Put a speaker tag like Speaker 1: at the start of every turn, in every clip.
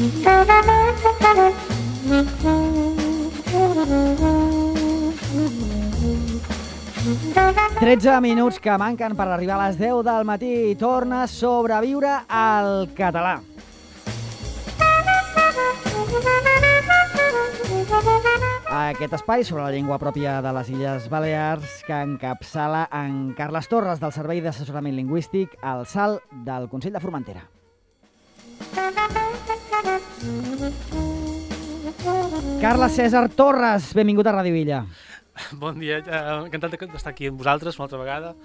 Speaker 1: 13 minuts que manquen per arribar a les 10 del matí i torna a sobreviure al català. Aquest espai sobre la llengua pròpia de les Illes Balears que encapçala en Carles Torres del Servei d'Assessorament Lingüístic al SAL del Consell de Formentera. Carles César Torres, benvingut a Ràdio Illa.
Speaker 2: Bon dia, encantat d'estar aquí amb vosaltres una altra vegada.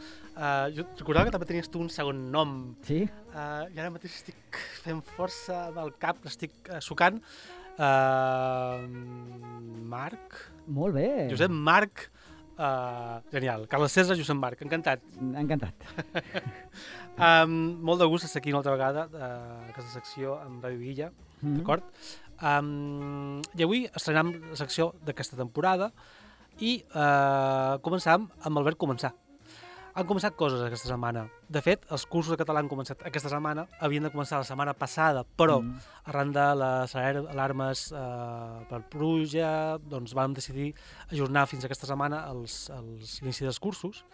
Speaker 2: Jo recordava que també tenies tu un segon nom.
Speaker 1: Sí?
Speaker 2: I ara mateix estic fent força del cap, l'estic sucant. Marc?
Speaker 1: Molt bé.
Speaker 2: Josep Marc. Genial. Carles César, Josep Marc. Encantat.
Speaker 1: Encantat.
Speaker 2: Molt de gust estar aquí una altra vegada a aquesta secció amb Ràdio Illa, d'acord? I avui estrenem la secció d'aquesta temporada i començàvem amb el verb començar. Han començat coses aquesta setmana. De fet, els cursos de català han començat aquesta setmana, havien de començar la setmana passada, però arran de les alarmes per pluja, doncs vam decidir ajornar fins a aquesta setmana l'inici dels cursos.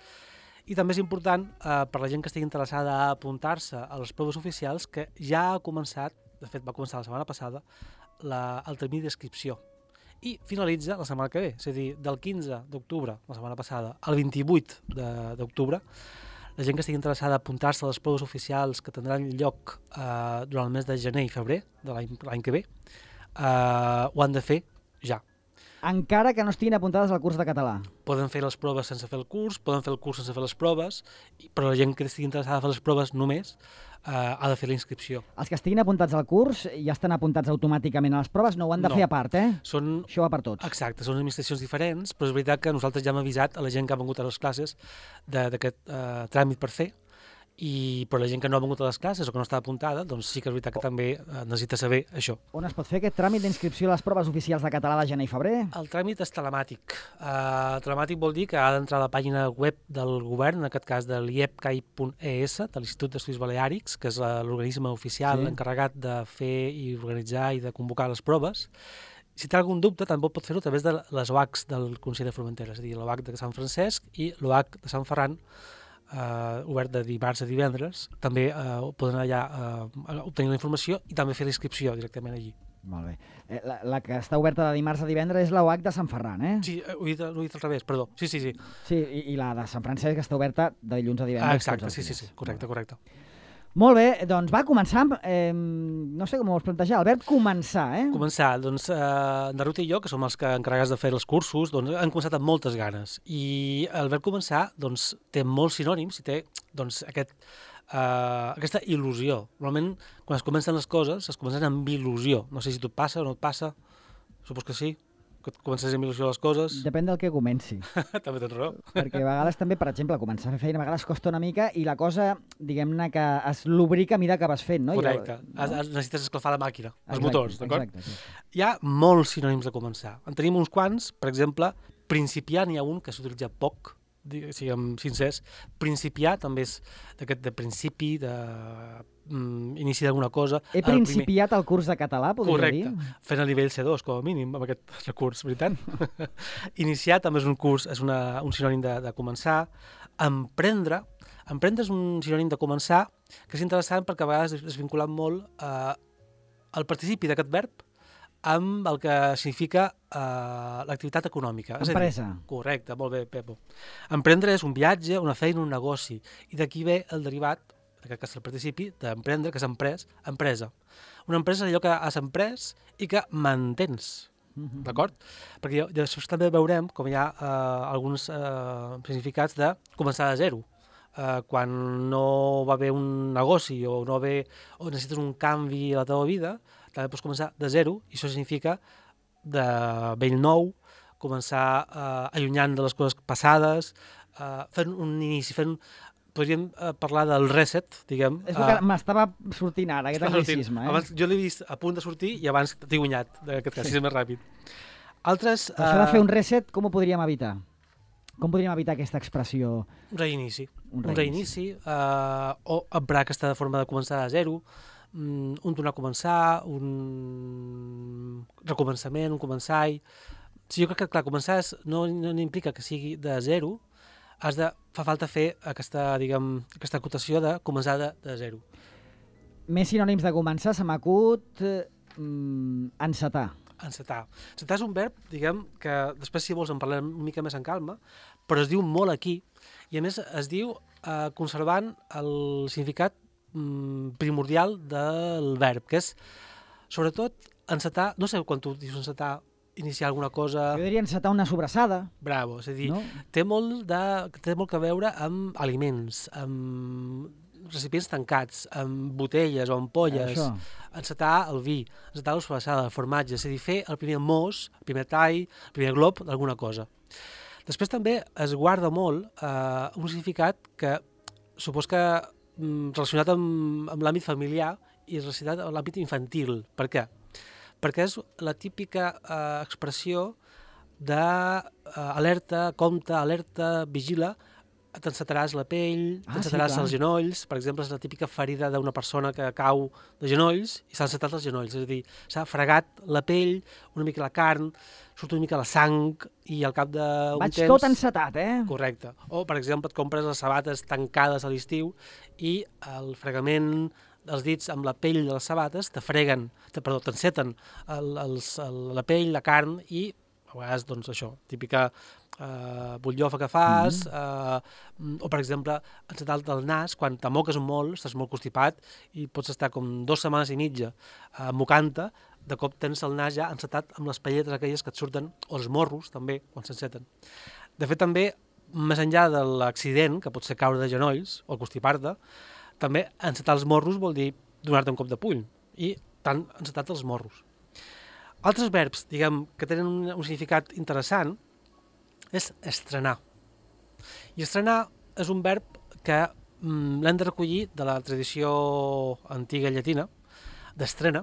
Speaker 2: I també és important per la gent que estigui interessada a apuntar-se a les proves oficials que ja ha començat, de fet va començar la setmana passada, el termini d'inscripció. I finalitza la setmana que ve, és a dir, del 15 d'octubre, la setmana passada, al 28 d'octubre, la gent que estigui interessada a apuntar-se a les proves oficials que tindran lloc durant el mes de gener i febrer de l'any que ve, ho han de fer ja.
Speaker 1: Encara que no estiguin apuntades al curs de català.
Speaker 2: Poden fer les proves sense fer el curs, poden fer el curs sense fer les proves, però la gent que estigui interessada a fer les proves només ha de fer la inscripció.
Speaker 1: Els que estiguin apuntats al curs ja estan apuntats automàticament a les proves, no ho han de fer a part, eh? Això va per tots.
Speaker 2: Exacte, són administracions diferents, però és veritat que nosaltres ja hem avisat a la gent que ha vingut a les classes d'aquest tràmit per fer, però la gent que no ha vingut a les classes o que no està apuntada, doncs sí que és veritat que també necessita saber això.
Speaker 1: On es pot fer aquest tràmit d'inscripció a les proves oficials de català de gener i febrer?
Speaker 2: El tràmit és telemàtic. Telemàtic vol dir que ha d'entrar a la pàgina web del govern, en aquest cas de l'IEPCAI.es, de l'Institut d'Estudis Baleàrics, que és l'organisme oficial encarregat de fer i organitzar i de convocar les proves. Si té algun dubte, també pot fer-ho a través de les OACs del Consell de Formentera, és a dir, l'OAC de Sant Francesc i l'OAC de Sant Ferran, obert de dimarts a divendres, també poden allà obtenir la informació i també fer la inscripció directament allí.
Speaker 1: Molt bé. La que està oberta de dimarts a divendres és l'OAC de Sant Ferran, eh?
Speaker 2: Sí, ho he dit al revés, perdó. Sí.
Speaker 1: Sí, i la de Sant Francesc està oberta de dilluns a divendres.
Speaker 2: Exacte, sí, correcte.
Speaker 1: Molt bé, doncs va, començar. No sé com ho vols plantejar, el verb començar, eh?
Speaker 2: Començar, doncs en Ruth i jo, que som els que encarregats de fer els cursos, doncs han començat amb moltes ganes. I el verb començar, doncs, té molts sinònims i té, doncs, aquesta il·lusió. Normalment, quan es comencen les coses, es comencen amb il·lusió. No sé si tu et passa o no et passa, supos que sí. Que comences amb il·lusió les coses.
Speaker 1: Depèn del que comenci.
Speaker 2: També tens raó.
Speaker 1: Perquè a vegades també, per exemple, començar a fer feina a vegades costa una mica i la cosa, diguem-ne, que es lubrica a mesura que vas fent, no?
Speaker 2: Correcte. Necessites escalfar la màquina, els motors, d'acord?
Speaker 1: Exacte.
Speaker 2: Hi ha molts sinònims de començar. En tenim uns quants, per exemple, principiar n'hi ha un que s'utilitza poc, siguem sincers. Principiar també és d'aquest de principi, inici d'alguna cosa.
Speaker 1: He principiat el curs de català, podria dir?
Speaker 2: Correcte, fent el nivell C2, com a mínim, amb aquest recurs, veritat? Iniciar també és un curs, és un sinònim de començar. Emprendre és un sinònim de començar, que és interessant perquè a vegades és vinculat molt al participi d'aquest verb amb el que significa l'activitat econòmica.
Speaker 1: Empresa.
Speaker 2: Correcte, molt bé, Pepo. Emprendre és un viatge, una feina, un negoci. I d'aquí ve el derivat, que és el participi, d'emprendre, que és empresa. Una empresa és allò que has emprès i que mantens, d'acord? Perquè després també veurem com hi ha alguns significats de començar de zero. Quan no va haver un negoci o necessites un canvi a la teva vida, també pots començar de zero i això significa de vell nou, començar allunyant de les coses passades, fent un inici, podríem parlar del reset, diguem.
Speaker 1: És el que m'estava sortint ara, aquest anglicisme.
Speaker 2: Abans jo l'he vist a punt de sortir i abans t'he guanyat, d'aquest cas, si és més ràpid. Altres...
Speaker 1: Això de fer un reset, com ho podríem evitar? Com podríem evitar aquesta expressió?
Speaker 2: Un reinici. O emprar aquesta forma de començar a zero, un tornar a començar, un recomençament, un començar-hi. Sí, jo crec que, clar, començar no implica que sigui de zero, fa falta fer aquesta acotació de començar de zero.
Speaker 1: Més sinònims de començar, se m'acut encetar.
Speaker 2: Encetar. Encetar és un verb, que després, si vols, en parlem una mica més en calma, però es diu molt aquí, i a més es diu conservant el significat primordial del verb, que és, sobretot, encetar, no sé quan tu dius encetar, iniciar alguna cosa...
Speaker 1: Jo diria encetar una sobrassada.
Speaker 2: Bravo, és a dir, té molt que veure amb aliments, amb recipients tancats, amb botelles o ampolles, encetar el vi, encetar la sobrassada, el formatge, és a dir, fer el primer mos, el primer tall, el primer glob d'alguna cosa. Després també es guarda molt un significat que supos que relacionat amb l'àmbit familiar i relacionat amb l'àmbit infantil. Per què? Perquè és la típica expressió d'alerta, compte, alerta, vigila, t'encetaràs la pell, t'encetaràs els genolls, per exemple, és la típica ferida d'una persona que cau de genolls i s'ha encetat els genolls, és a dir, s'ha fregat la pell, una mica la carn, surt una mica la sang i al cap d'un temps...
Speaker 1: Vaig tot encetat,
Speaker 2: Correcte. O, per exemple, et compres les sabates tancades a l'estiu i el fregament dels dits amb la pell de les sabates t'enceten la pell, la carn i a vegades, doncs, això, típica butllofa que fas, o, per exemple, encetar-te el nas, quan t'amoques molt, estàs molt constipat i pots estar com 2 setmanes i mitja mocant-te, de cop tens el nas ja encetat amb les pelletes aquelles que et surten, o els morros, també, quan s'enceten. De fet, també, més enllà de l'accident, que pot ser caure de genolls o constipar-te, també encetar els morros vol dir donar-te un cop de puny, i t'han encetat els morros. Altres verbs, que tenen un significat interessant, és estrenar. I estrenar és un verb que l'hem de recollir de la tradició antiga llatina, d'estrena,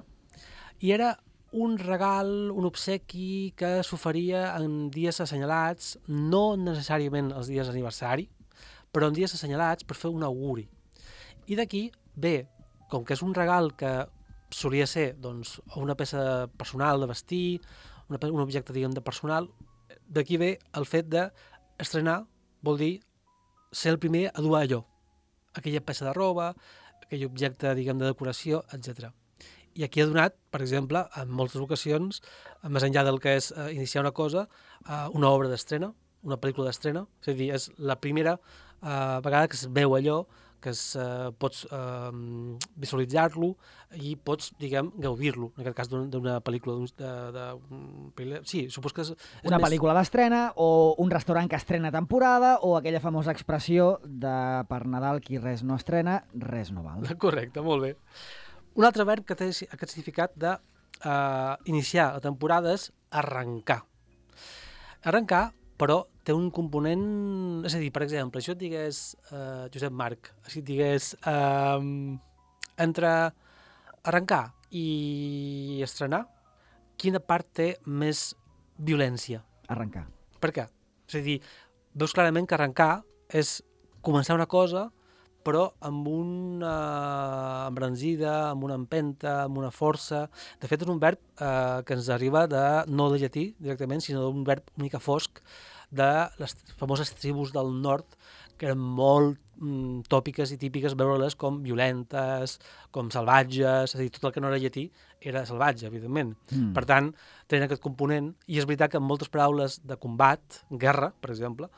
Speaker 2: i era un regal, un obsequi que s'oferia en dies assenyalats, no necessàriament els dies d'aniversari, però en dies assenyalats per fer un auguri. I d'aquí ve, com que és un regal que solia ser doncs, una peça personal de vestir, un objecte de personal, d'aquí ve el fet d'estrenar, vol dir ser el primer a dur allò, aquella peça de roba, aquell objecte de decoració, etc. I aquí ha donat, per exemple, en moltes ocasions, més enllà del que és iniciar una cosa, una obra d'estrena, una pel·lícula d'estrena, és a dir, és la primera vegada que es veu allò, que pots visualitzar-lo i pots, gaudir-lo, en aquest cas d'una pel·lícula. Sí, supos que és
Speaker 1: una pel·lícula d'estrena o un restaurant que estrena temporada o aquella famosa expressió de per Nadal qui res no estrena, res no val.
Speaker 2: Correcte, molt bé. Un altre verb que té aquest significat d'iniciar la temporada és arrencar. Arrencar, però té un component... És a dir, per exemple, si jo et digués, Josep Marc, si et digués entre arrencar i estrenar, quina part té més violència?
Speaker 1: Arrencar.
Speaker 2: Per què? És a dir, veus clarament que arrencar és començar una cosa, però amb una embranzida, amb una empenta, amb una força. De fet, és un verb que ens arriba no de llatí directament, sinó d'un verb una mica fosc de les famoses tribus del nord, que eren molt tòpiques i típiques veure-les com violentes, com salvatges, és a dir, tot el que no era llatí era salvatge, evidentment. Per tant, tenen aquest component, i és veritat que en moltes paraules de combat, guerra, per exemple,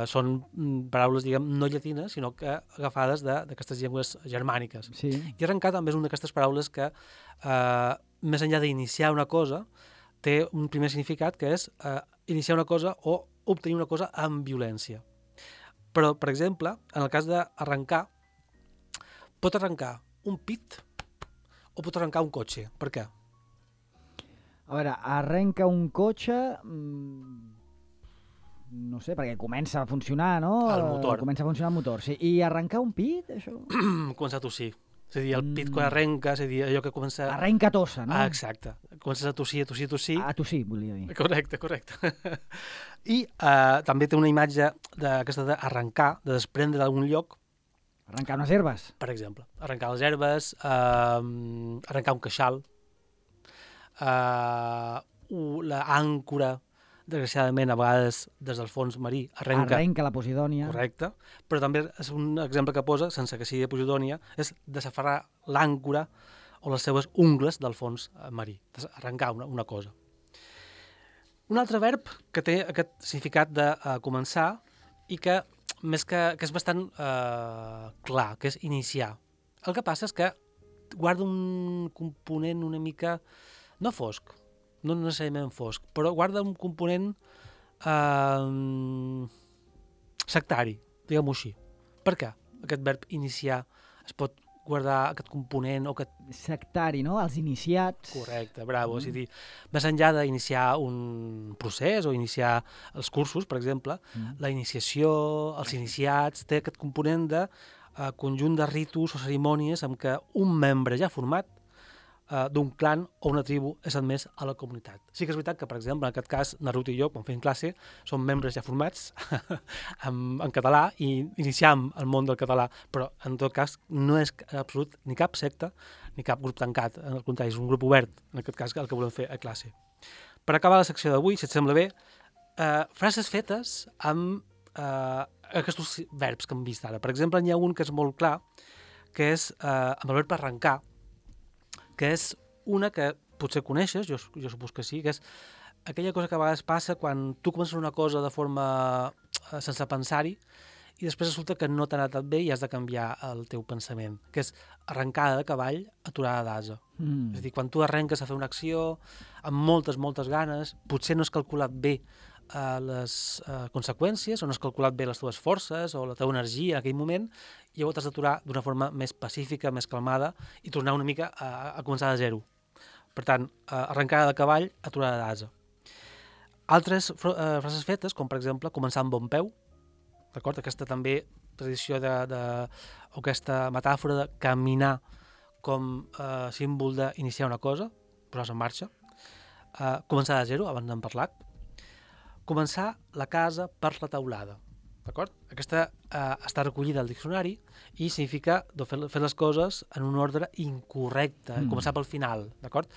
Speaker 2: són paraules, no llatines, sinó que agafades d'aquestes llengües germàniques.
Speaker 1: Sí.
Speaker 2: I arrencar també és una d'aquestes paraules que, més enllà d'iniciar una cosa, té un primer significat que és iniciar una cosa o obtenir una cosa amb violència. Però, per exemple, en el cas d'arrencar, pot arrencar un pit o pot arrencar un cotxe. Per què?
Speaker 1: A veure, arrenca un cotxe... No sé, perquè comença a funcionar, no?
Speaker 2: El motor.
Speaker 1: Comença a funcionar el motor, sí. I arrencar un pit, això?
Speaker 2: Començar a tossir. És a dir, el pit quan arrenca, és a dir, allò que comença...
Speaker 1: Arrenca tossa, no?
Speaker 2: Exacte. Comences a tossir, a tossir, a tossir.
Speaker 1: A tossir, volia dir.
Speaker 2: Correcte. I també té una imatge d'aquesta d'arrencar, de desprendre d'algun lloc,
Speaker 1: Arrencar unes herbes.
Speaker 2: Per exemple, arrencar les herbes, arrencar un queixal, l'àncora, desgraciadament, a vegades, des del fons marí,
Speaker 1: Arrenca la Posidònia.
Speaker 2: Correcte, però també és un exemple que posa, sense que sigui de Posidònia, és desaferrar l'àncora o les seues ungles del fons marí, arrencar una cosa. Un altre verb que té aquest significat de començar i que és bastant clar, que és iniciar. El que passa és que guarda un component una mica, no fosc, no necessàriament fosc, però guarda un component sectari, diguem-ho així. Per què? Aquest verb iniciar es pot guardar aquest component o aquest...
Speaker 1: Sectari, no? Els iniciats.
Speaker 2: Correcte, bravo. És a dir, més enllà d'iniciar un procés o iniciar els cursos, per exemple, la iniciació, els iniciats, té aquest component de conjunt de ritus o cerimònies amb què un membre ja format d'un clan o una tribu és admès a la comunitat. Sí que és veritat que, per exemple, en aquest cas, Naruto i jo, quan fem classe, som membres ja formats en català i iniciam el món del català, però en tot cas no és absolut ni cap secta ni cap grup tancat, al contrari, és un grup obert, en aquest cas el que volem fer a classe. Per acabar la secció d'avui, si et sembla bé, frases fetes amb aquests verbs que hem vist ara. Per exemple, n'hi ha un que és molt clar, que és amb el verb arrencar, que és una que potser coneixes, jo supos que sí, que és aquella cosa que a vegades passa quan tu comences una cosa de forma sense pensar-hi i després resulta que no t'ha anat bé i has de canviar el teu pensament, que és arrencada de cavall, aturada d'ase. És a dir, quan tu arrenques a fer una acció amb moltes ganes, potser no has calculat bé les conseqüències o no has calculat bé les teves forces o la teva energia en aquell moment i llavors t'has d'aturar d'una forma més pacífica, més calmada i tornar una mica a començar de zero. Per tant, arrencada de cavall, aturada d'ase. Altres frases fetes, com per exemple començar amb bon peu, d'acord? Aquesta també tradició o aquesta metàfora de caminar com símbol d'iniciar una cosa, posar-se en marxa, començar de zero, abans n'hem parlat, començar la casa per la teulada, d'acord? Aquesta està recollida al diccionari i significa fer les coses en un ordre incorrecte, començar pel final, d'acord?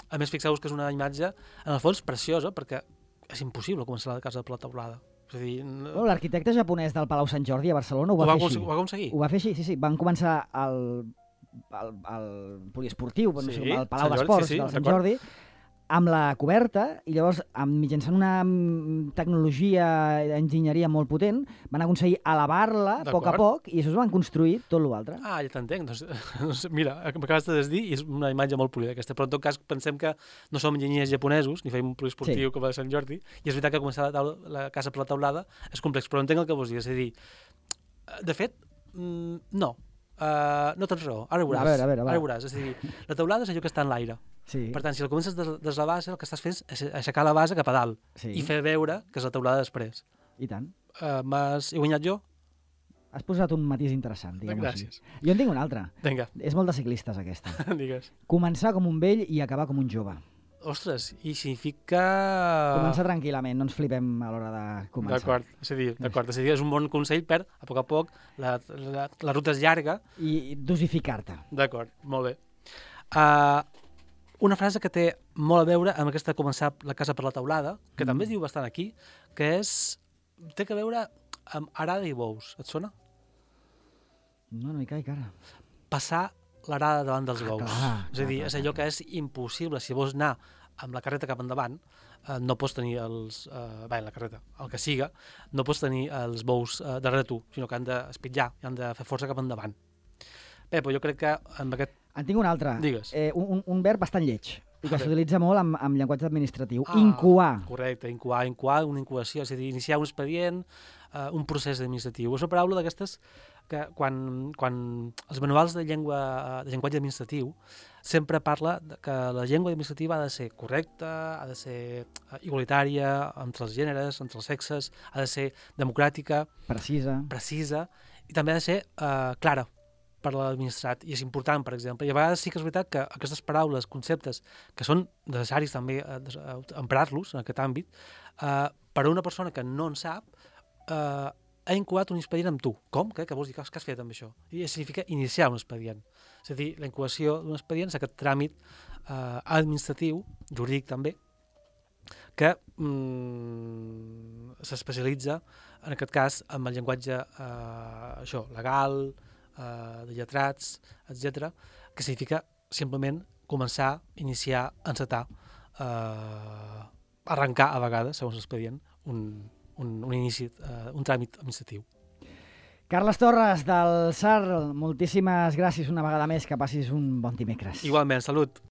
Speaker 2: A més, fixeu-vos que és una imatge, en el fons, preciosa, perquè és impossible començar la casa per la teulada. És a dir...
Speaker 1: L'arquitecte japonès del Palau Sant Jordi a Barcelona ho va fer així.
Speaker 2: Ho va aconseguir?
Speaker 1: Ho va fer així, sí. Van començar al poliesportiu, al Palau d'Esports del Sant Jordi, amb la coberta, i llavors, mitjançant una tecnologia d'enginyeria molt potent, van aconseguir elevar-la a poc, i això es van construir tot l'altre.
Speaker 2: Ah, ja t'entenc. Doncs, mira, m'acabes de dir, i és una imatge molt polida aquesta, però en tot cas pensem que no som enginyers japonesos, ni fem un poliesportiu com a Sant Jordi, i és veritat que començar la casa per la teulada és complex, però entenc el que vols dir, és a dir, de fet, no tens raó, ara ho veuràs. Ara ho veuràs, és a dir, la teulada és allò que està en l'aire.
Speaker 1: Sí.
Speaker 2: Per tant, si el comences des la base, el que estàs fent és aixecar la base cap a dalt i fer veure que és la teulada després.
Speaker 1: I tant.
Speaker 2: He guanyat jo?
Speaker 1: Has posat un matís interessant, diguem-ho així.
Speaker 2: Gràcies.
Speaker 1: Jo en tinc una altra.
Speaker 2: Vinga.
Speaker 1: És molt de ciclistes, aquesta.
Speaker 2: Digues.
Speaker 1: Començar com un vell i acabar com un jove.
Speaker 2: Ostres, i significa...
Speaker 1: Començar tranquil·lament, no ens flipem a l'hora de començar.
Speaker 2: D'acord. És a dir, és un bon consell per, a poc, la ruta és llarga.
Speaker 1: I dosificar-te.
Speaker 2: D'acord, molt bé. Una frase que té molt a veure amb aquesta començar la casa per la teulada, que també es diu bastant aquí, que té a veure amb arada i bous. Et sona?
Speaker 1: No hi caic ara.
Speaker 2: Passar l'arada davant dels bous. És a dir, és allò que és impossible. Si vols anar amb la carreta cap endavant, no pots tenir la carreta, el que siga, no pots tenir els bous darrere tu, sinó que han d'espitjar, han de fer força cap endavant. Bé, però jo crec que amb aquest...
Speaker 1: En tinc un altre.
Speaker 2: Digues.
Speaker 1: Un verb bastant lleig, i que s'utilitza molt amb llenguatge administratiu. Incoar.
Speaker 2: Correcte, incoar, una incubació, és a dir, iniciar un expedient, un procés administratiu. És una paraula d'aquestes que quan els manuals de llenguatge administratiu sempre parla que la llengua administrativa ha de ser correcta, ha de ser igualitària entre els gèneres, entre els sexes, ha de ser democràtica,
Speaker 1: precisa,
Speaker 2: i també ha de ser clara per l'administrat, i és important, per exemple. I a vegades sí que és veritat que aquestes paraules, conceptes, que són necessaris també emprar-los en aquest àmbit, per a una persona que no en sap, ha incoat un expedient amb tu. Com? Què vols dir? Què has fet amb això? I significa iniciar un expedient. És a dir, la incoació d'un expedient és aquest tràmit administratiu, jurídic també, que s'especialitza, en aquest cas, amb el llenguatge legal, de lletrats, etc., que significa simplement començar, iniciar, encetar, arrencar a vegades, segons l'expedient, un inici, un tràmit administratiu.
Speaker 1: Carles Torres, del SAR, moltíssimes gràcies una vegada més, que passis un bon dimecres.
Speaker 2: Igualment, salut.